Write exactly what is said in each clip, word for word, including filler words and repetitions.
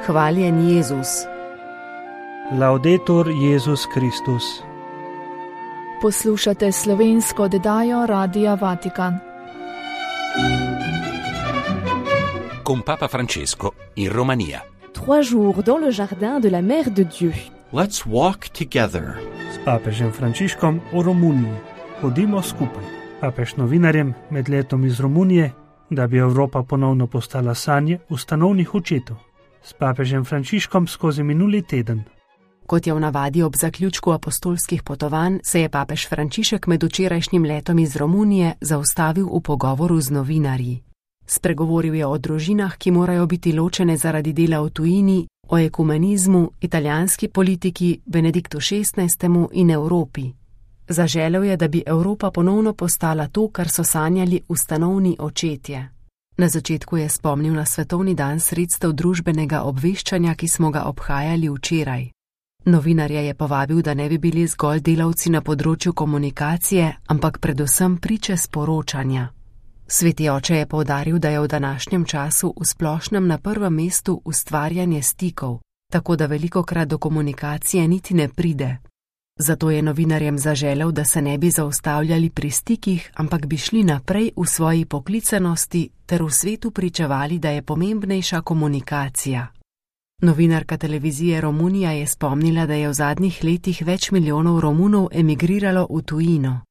Hvaljen Jezus. Laudetur Jezus Kristus. Poslušate slovensko oddajo Radia Vatikan. Con Papa Francesco in Romania. Trois jours dans le jardin de la Mère de Dieu. Let's walk together. S papežem Frančiškom v Romuniji. Hodimo skupaj. Papež novinarjem med letom iz Romunije, da bi Evropa ponovno postala sanje ustanovnih očetov. S papežem Frančiškom skozi minuli teden. Kot je v navadi ob zaključku apostolskih potovanj, se je papež Frančišek med včerajšnjim letom iz Romunije zaustavil v pogovoru z novinarji. Spregovoril je o družinah, ki morajo biti ločene zaradi dela v tujini, o ekumenizmu, italijanski politiki, Benediktu šestnajstemu in Evropi. Zaželel je, da bi Evropa ponovno postala to, kar so sanjali ustanovni očetje. Na začetku je spomnil na svetovni dan sredstev družbenega obveščanja, ki smo ga obhajali včeraj. Novinarje je povabil, da ne bi bili zgolj delavci na področju komunikacije, ampak predvsem priče sporočanja. Sveti oče je poudaril, da je v današnjem času v splošnem na prvem mestu ustvarjanje stikov, tako da velikokrat do komunikacije niti ne pride. Zato je novinarjem zaželel, da se ne bi zaustavljali pri stikih, ampak bi šli naprej v svoji poklicanosti ter v svetu pričevali, da je pomembnejša komunikacija. Novinarka televizije Romunija je spomnila, da je v zadnjih letih več milijonov Romunov emigriralo v tujino.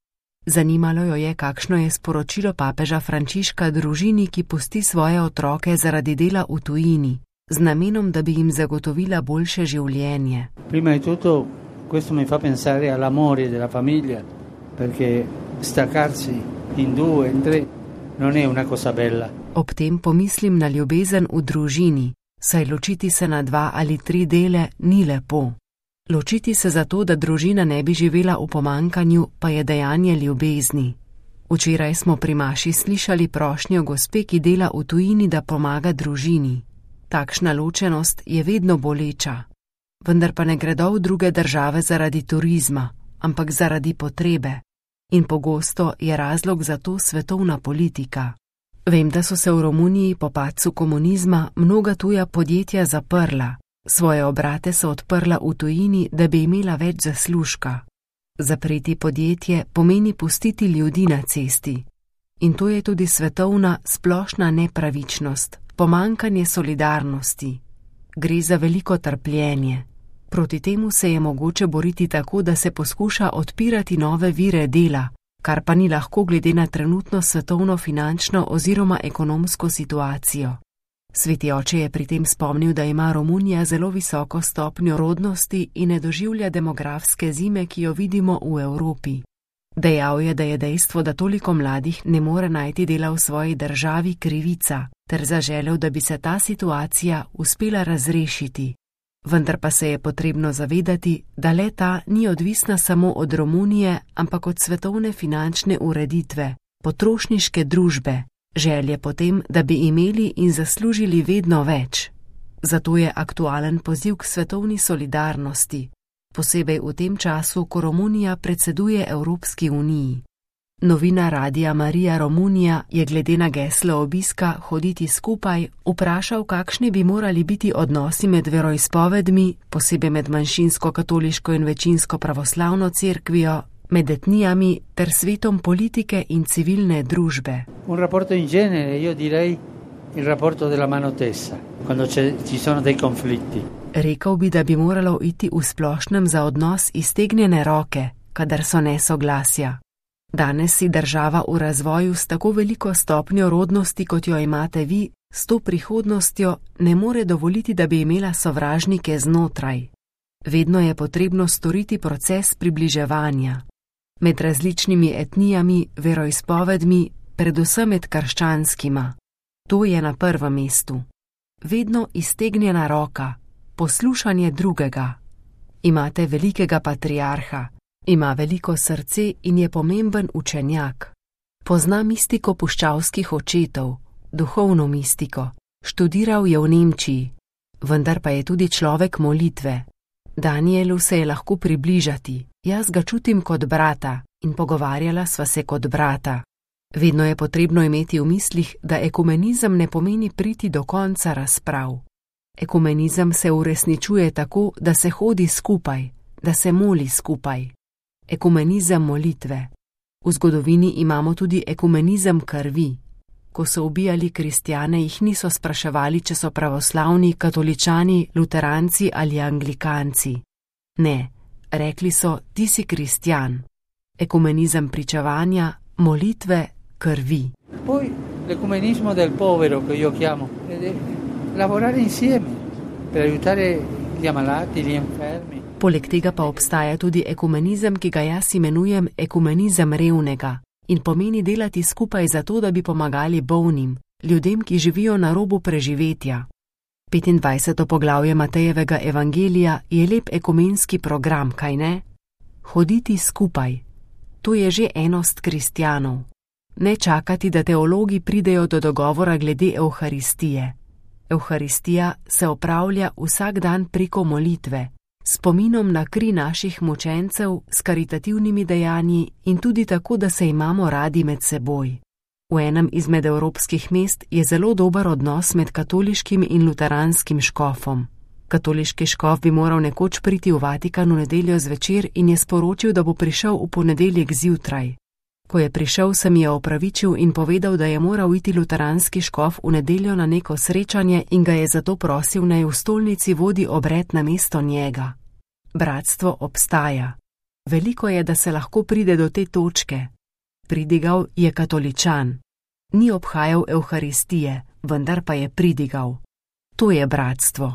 Zanimalo jo je, kakšno je sporočilo papeža Frančiška družini, ki pusti svoje otroke zaradi dela v tujini, z namenom, da bi jim zagotovila boljše življenje. Prima di tutto, questo mi fa pensare all'amore della famiglia, perché staccarsi in due, in tre, non è una cosa bella. Ob tem pomislim na ljubezen v družini, saj ločiti se na dva ali tri dele ni lepo. Ločiti se zato, da družina ne bi živela v pomankanju, pa je dejanje ljubezni. Včeraj smo pri maši slišali prošnjo gospe, ki dela v tujini, da pomaga družini. Takšna ločenost je vedno boleča. Vendar pa ne gredo v druge države zaradi turizma, ampak zaradi potrebe. In pogosto je razlog za to svetovna politika. Vem, da so se v Romuniji po padcu komunizma mnoga tuja podjetja zaprla. Svoje obrate so odprla v tujini, da bi imela več zaslužka. Zapreti podjetje pomeni pustiti ljudi na cesti. In to je tudi svetovna splošna nepravičnost, pomankanje solidarnosti. Gre za veliko trpljenje. Proti temu se je mogoče boriti tako, da se poskuša odpirati nove vire dela, kar pa ni lahko glede na trenutno svetovno finančno oziroma ekonomsko situacijo. Sveti oče je pri tem spomnil, da ima Romunija zelo visoko stopnjo rodnosti in ne doživlja demografske zime, ki jo vidimo v Evropi. Dejal je, da je dejstvo, da toliko mladih ne more najti dela v svoji državi, krivica, ter zaželel, da bi se ta situacija uspela razrešiti. Vendar pa se je potrebno zavedati, da le ta ni odvisna samo od Romunije, ampak od svetovne finančne ureditve, potrošniške družbe, želje potem, da bi imeli in zaslužili vedno več. Zato je aktualen poziv k svetovni solidarnosti, posebej v tem času, ko Romunija predseduje Evropski uniji. Novina Radia Marija Romunija je glede na geslo obiska Hoditi skupaj vprašal, kakšni bi morali biti odnosi med veroizpovedmi, posebej med manjšinsko katoliško in večinsko pravoslavno cerkvijo, med etnijami ter svetom politike in civilne družbe. Un rapporto in genere, io direi il rapporto della mano tesa, quando ci sono dei conflitti. Rekel bi, da bi moralo iti v splošnem za odnos iztegnjene roke, kadar so nesoglasja. Danes si država v razvoju s tako veliko stopnjo rodnosti, kot jo imate vi, s to prihodnostjo ne more dovoliti, da bi imela sovražnike znotraj. Vedno je potrebno storiti proces približevanja. Med različnimi etnijami, veroizpovedmi, predvsem med krščanskima. To je na prvem mestu. Vedno iztegnjena roka, poslušanje drugega. Imate velikega patriarha, ima veliko srce in je pomemben učenjak. Pozna mistiko puščavskih očetov, duhovno mistiko. Študiral je v Nemčiji, vendar pa je tudi človek molitve. Danielu se je lahko približati, jaz ga čutim kot brata in pogovarjala sva se kot brata. Vedno je potrebno imeti v mislih, da ekumenizem ne pomeni priti do konca razprav. Ekumenizem se uresničuje tako, da se hodi skupaj, da se moli skupaj. Ekumenizem molitve. V zgodovini imamo tudi ekumenizem krvi. Ko so ubijali kristjane, jih niso spraševali, če so pravoslavni, katoličani, luteranci ali anglikanci. Ne, rekli so, ti si kristjan. Ekumenizem pričevanja, molitve, krvi. Poi l'ecumenismo del povero, che io chiamo, è lavorare insieme per aiutare gli ammalati, gli infermi. Poleg tega pa obstaja tudi ekumenizem, ki ga jaz imenujem ekumenizem revnega in pomeni delati skupaj zato, da bi pomagali bolnim, ljudem, ki živijo na robu preživetja. petindvajseto poglavje Matejevega evangelija je lep ekumenski program, kaj ne? Hoditi skupaj. To je že enost kristjanov. Ne čakati, da teologi pridejo do dogovora glede Evharistije. Evharistija se opravlja vsak dan preko molitve, spominom na kri naših mučencev, s karitativnimi dejanji in tudi tako, da se imamo radi med seboj. V enem izmed evropskih mest je zelo dober odnos med katoliškim in luteranskim škofom. Katoliški škof bi moral nekoč priti v Vatikan v nedeljo zvečer in je sporočil, da bo prišel v ponedeljek zjutraj. Ko je prišel, se mi je opravičil in povedal, da je moral iti luteranski škof v nedeljo na neko srečanje in ga je zato prosil, naj v stolnici vodi obred na mesto njega. Bratstvo obstaja. Veliko je, da se lahko pride do te točke. Pridigal je katoličan. Ni obhajal Evharistije, vendar pa je pridigal. To je bratstvo.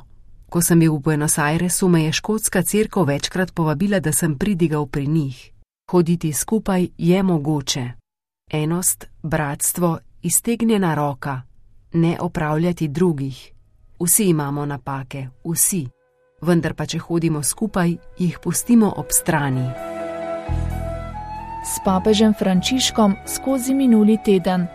Ko sem bil v Buenos Airesu, me je škotska cerkev večkrat povabila, da sem pridigal pri njih. Hoditi skupaj je mogoče. Enost, bratstvo, iztegnjena roka, ne opravljati drugih. Vsi imamo napake, vsi. Vendar pa če hodimo skupaj, jih pustimo ob strani. S papežem Frančiškom skozi minuli teden.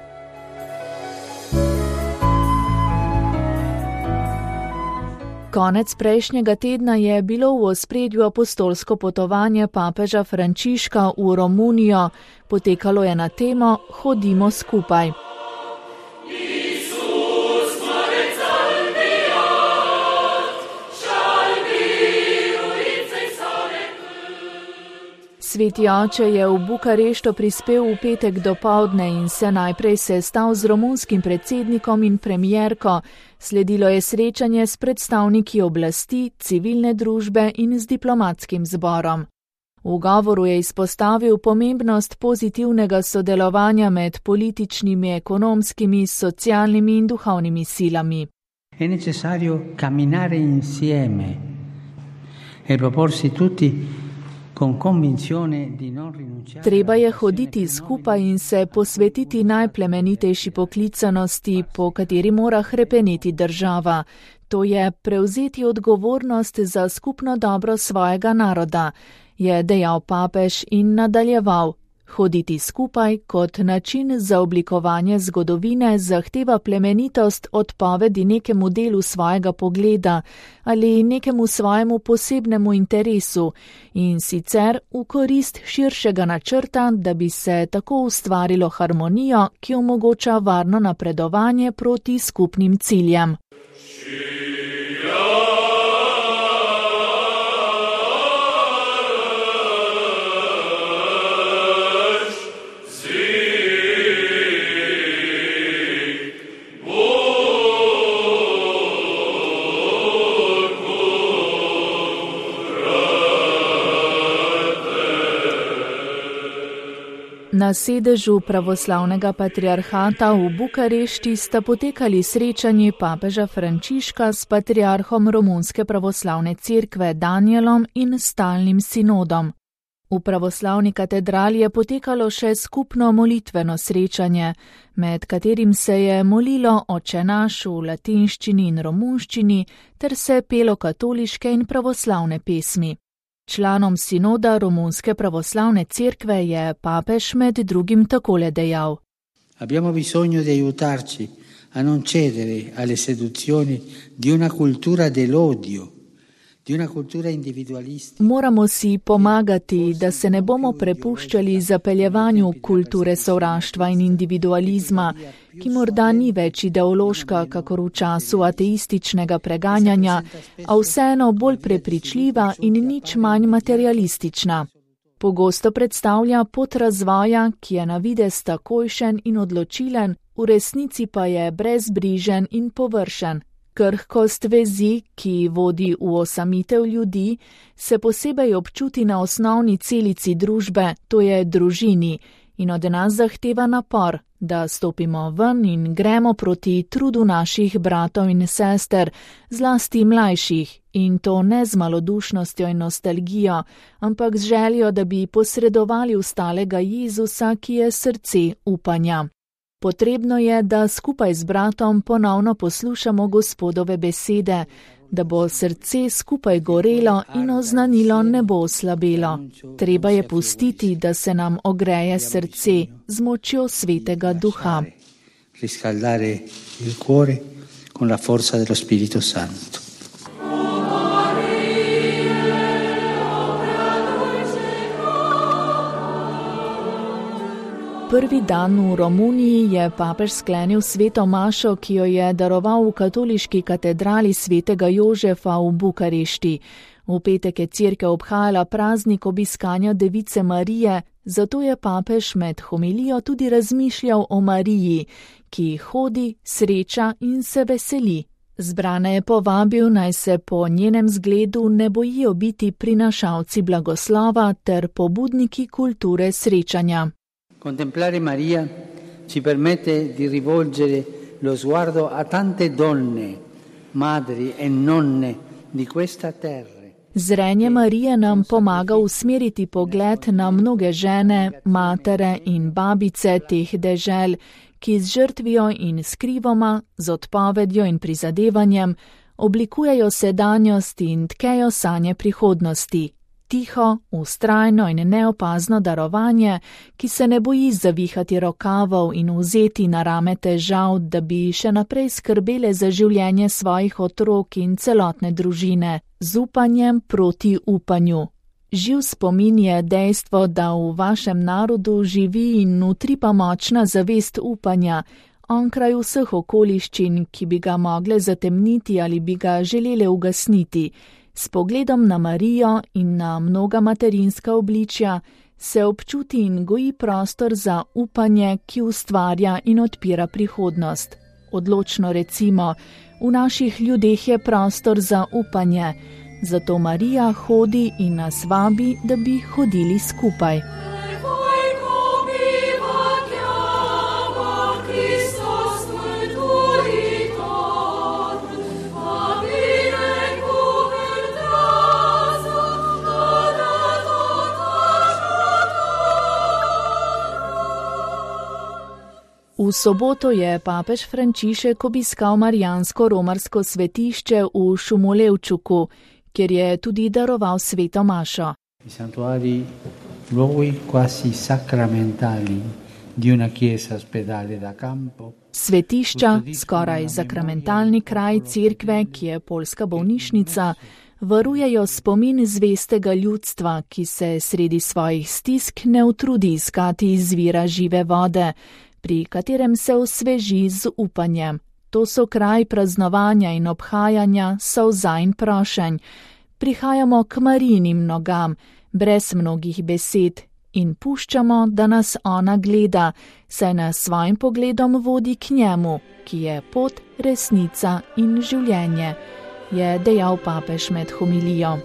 Konec prejšnjega tedna je bilo v ospredju apostolsko potovanje papeža Frančiška v Romunijo. Potekalo je na temo Hodimo skupaj. Sveti oče je v Bukarešto prispel v petek dopoldne in se najprej sestal z romunskim predsednikom in premierko. Sledilo je srečanje s predstavniki oblasti, civilne družbe in z diplomatskim zborom. V govoru je izpostavil pomembnost pozitivnega sodelovanja med političnimi, ekonomskimi, socialnimi in duhovnimi silami. È necessario camminare insieme e proporsi tutti. Treba je hoditi skupaj in se posvetiti najplemenitejši poklicanosti, po kateri mora hrepeneti država. To je prevzeti odgovornost za skupno dobro svojega naroda, je dejal papež in nadaljeval. Hoditi skupaj kot način za oblikovanje zgodovine zahteva plemenitost odpovedi nekemu delu svojega pogleda ali nekemu svojemu posebnemu interesu in sicer v korist širšega načrta, da bi se tako ustvarilo harmonijo, ki omogoča varno napredovanje proti skupnim ciljem. Na sedežu pravoslavnega patriarhata v Bukarešti sta potekali srečanji papeža Frančiška s patriarhom Romunske pravoslavne cerkve Danielom in stalnim sinodom. V pravoslavni katedrali je potekalo še skupno molitveno srečanje, med katerim se je molilo Oče naš v latinščini in romunščini ter se pelo katoliške in pravoslavne pesmi. Članom sinoda Romunske pravoslavne cerkve je papež med drugim takole dejal. Abbiamo bisogno di aiutarci a non cedere alle seduzioni di una cultura dell'odio, di una cultura individualista. Moramo si pomagati, da se ne bomo prepuščali zapeljevanju kulture sovraštva in individualizma, ki morda ni več ideološka, kakor v času ateističnega preganjanja, a vseeno bolj prepričljiva in nič manj materialistična. Pogosto predstavlja pot razvoja, ki je na videz takojšen in odločilen, v resnici pa je brezbrižen in površen. Krhkost vezi, ki vodi v osamitev ljudi, se posebej občuti na osnovni celici družbe, to je družini, in od nas zahteva napor, da stopimo ven in gremo proti trudu naših bratov in sester, zlasti mlajših, in to ne z malodušnostjo in nostalgijo, ampak z željo, da bi posredovali ustalega Jezusa, ki je srce upanja. Potrebno je, da skupaj z bratom ponovno poslušamo Gospodove besede, da bo srce skupaj gorelo in oznanilo ne bo oslabelo. Treba je pustiti, da se nam ogreje srce z močjo Svetega Duha. Riscaldare il cuore con la forza dello Spirito Santo. Prvi dan v Romuniji je papež sklenil sveto mašo, ki jo je daroval v katoliški katedrali svetega Jožefa v Bukarešti. V petek je cerkev obhajala praznik obiskanja Device Marije, zato je papež med homilijo tudi razmišljal o Mariji, ki hodi, sreča in se veseli. Zbrane je povabil, naj se po njenem zgledu ne bojijo biti prinašalci blagoslova ter pobudniki kulture srečanja. Contemplare Maria ci permette di rivolgere lo sguardo a tante donne, madri e nonne di questa terra. Zrenje Marije nam pomaga usmeriti pogled na mnoge žene, matere in babice teh dežel, ki z žrtvijo in skrivoma, z odpovedjo in prizadevanjem oblikujejo sedanjost in tkejo sanje prihodnosti. Tiho, vztrajno in neopazno darovanje, ki se ne boji zavihati rokavov in vzeti na rame težav, da bi še naprej skrbele za življenje svojih otrok in celotne družine, z upanjem proti upanju. Živ spomin je dejstvo, da v vašem narodu živi in utripa močna zavest upanja, onkraj vseh okoliščin, ki bi ga mogle zatemniti ali bi ga želele ugasniti. S pogledom na Marijo in na mnoga materinska obličja se občuti in goji prostor za upanje, ki ustvarja in odpira prihodnost. Odločno recimo, v naših ljudeh je prostor za upanje, zato Marija hodi in nas vabi, da bi hodili skupaj. V soboto je papež Frančišek obiskal marijansko romarsko svetišče v Šumolevčuku, kjer je tudi daroval sveto mašo. Svetišča, skoraj sakramentalni kraj cerkve, ki je poljska bolnišnica, varujejo spomin zvestega ljudstva, ki se sredi svojih stisk ne utrudi iskati izvira žive vode, pri katerem se osveži z upanjem. To so kraj praznovanja in obhajanja, solza in prošenj. Prihajamo k Marijinim nogam, brez mnogih besed, in puščamo, da nas ona gleda, saj nas svojim pogledom vodi k njemu, ki je pot, resnica in življenje, je dejal papež med homilijo.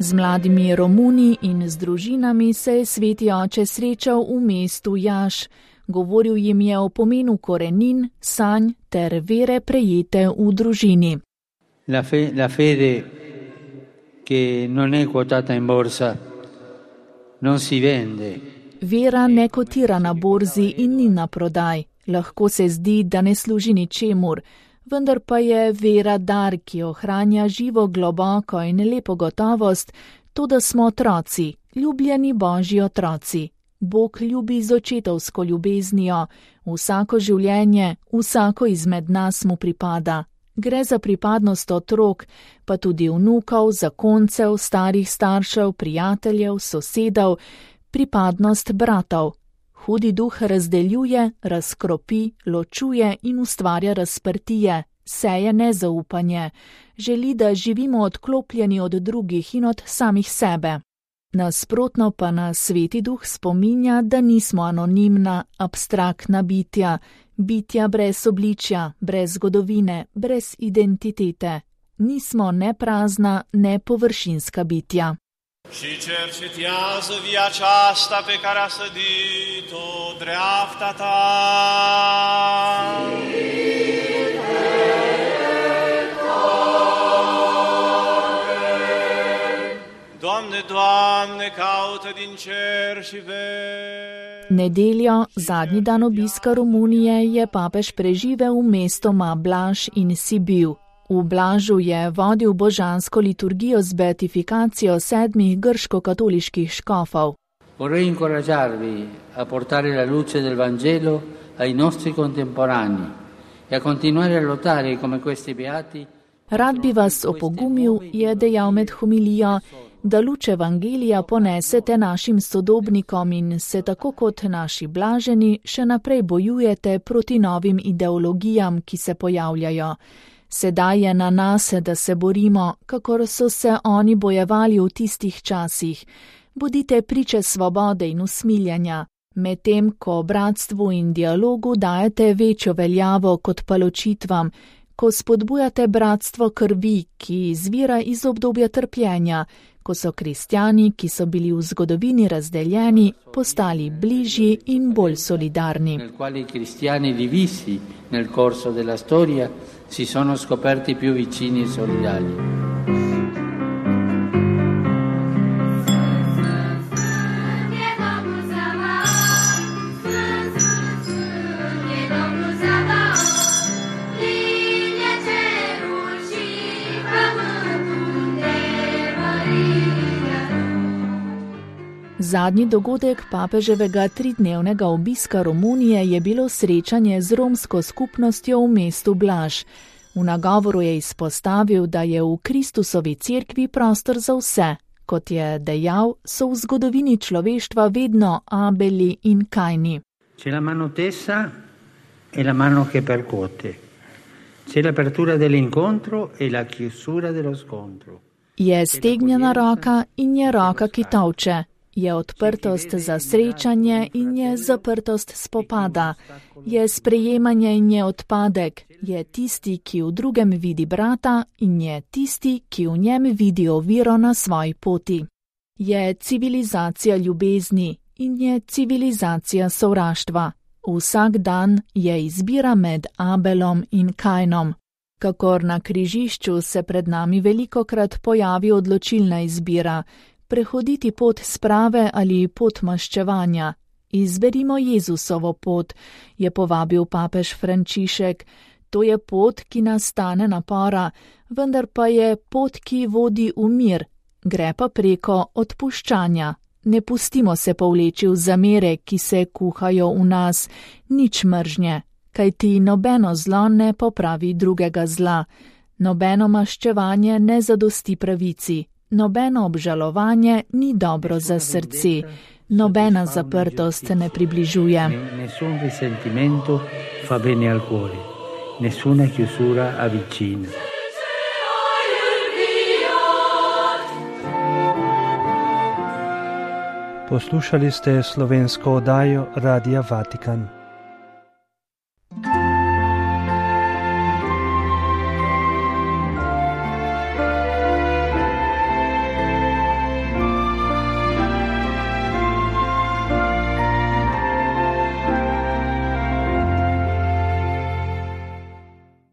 Z mladimi Romuni in z družinami se je sveti oče srečal v mestu Jaš. Govoril jim je o pomenu korenin, sanj ter vere prejete v družini. La, fe, la fede che non è quotata in borsa non si vende. Vera ne kotira na borzi in ni na prodaj. Lahko se zdi, da ne služi ničemur. Vendar pa je vera dar, ki ohranja živo globoko in lepo gotovost, to, da smo otroci, ljubljeni Božji otroci. Bog ljubi z očetovsko ljubeznijo. Vsako življenje, vsako izmed nas mu pripada. Gre za pripadnost otrok, pa tudi vnukov, zakoncev, starih staršev, prijateljev, sosedov, pripadnost bratov. Hudi duh razdeljuje, razkropi, ločuje in ustvarja razprtije, seje nezaupanje. Želi, da živimo odklopljeni od drugih in od samih sebe. Nasprotno pa nas Sveti duh spominja, da nismo anonimna, abstraktna bitja, bitja brez obličja, brez zgodovine, brez identitete. Nismo ne prazna, ne površinska bitja. Și cercetează via aceasta pe care a sădit-o dreapta ta. Doamne, Doamne, caută din cer și vezi. Nedeljo, zadnji dan obiska Romunije, je papež preživel v mestoma Blaž in Sibiu. V Blažu je vodil božansko liturgijo z beatifikacijo sedmih grško-katoliških škofov. Vorrei incoraggiarvi a portare la luce del Vangelo ai nostri contemporanei e a continuare a lottare come questi beati. Rad bi vas opogumil, je dejal med homilijo, da luč Evangelija ponesete našim sodobnikom in se tako kot naši blaženi še naprej bojujete proti novim ideologijam, ki se pojavljajo. Sedaj je na nas, da se borimo, kakor so se oni bojevali v tistih časih. Bodite priče svobode in usmiljanja, medtem ko bratstvu in dialogu dajete večjo veljavo kot pa ločitvam, ko spodbujate bratstvo krvi, ki izvira iz obdobja trpljenja, ko so kristjani, ki so bili v zgodovini razdeljeni, postali bližji in bolj solidarni. Nel quali cristiani divisi nel corso della storia si sono scoperti più vicini e solidali. Zadnji dogodek papeževega tridnevnega obiska Romunije je bilo srečanje z romsko skupnostjo v mestu Blaž. V nagovoru je izpostavil, da je v Kristusovi cerkvi prostor za vse. Kot je dejal, so v zgodovini človeštva vedno Abeli in Kajni. C'è la mano tesa e la mano che percuote. C'è l'apertura dell'incontro e la chiusura dello scontro. Je stegnjena roka in je roka, ki tolče. Je odprtost za srečanje in je zaprtost spopada. Je sprejemanje in je odpadek. Je tisti, ki v drugem vidi brata in je tisti, ki v njem vidi oviro na svoji poti. Je civilizacija ljubezni in je civilizacija sovraštva. Vsak dan je izbira med Abelom in Kajnom. Kakor na križišču se pred nami velikokrat pojavi odločilna izbira. Prehoditi pot sprave ali pot maščevanja. Izberimo Jezusovo pot, je povabil papež Frančišek. To je pot, ki nas stane napora, vendar pa je pot, ki vodi v mir, gre pa preko odpuščanja. Ne pustimo se povleči v zamere, ki se kuhajo v nas, nič mržnje, kajti nobeno zlo ne popravi drugega zla. Nobeno maščevanje ne zadosti pravici. Nobeno obžalovanje ni dobro za srce, nobena zaprtost ne približuje. Nessun risentimento fa bene al cuore, nessuna chiusura avvicina. Poslušali ste slovensko oddajo Radia Vatikan.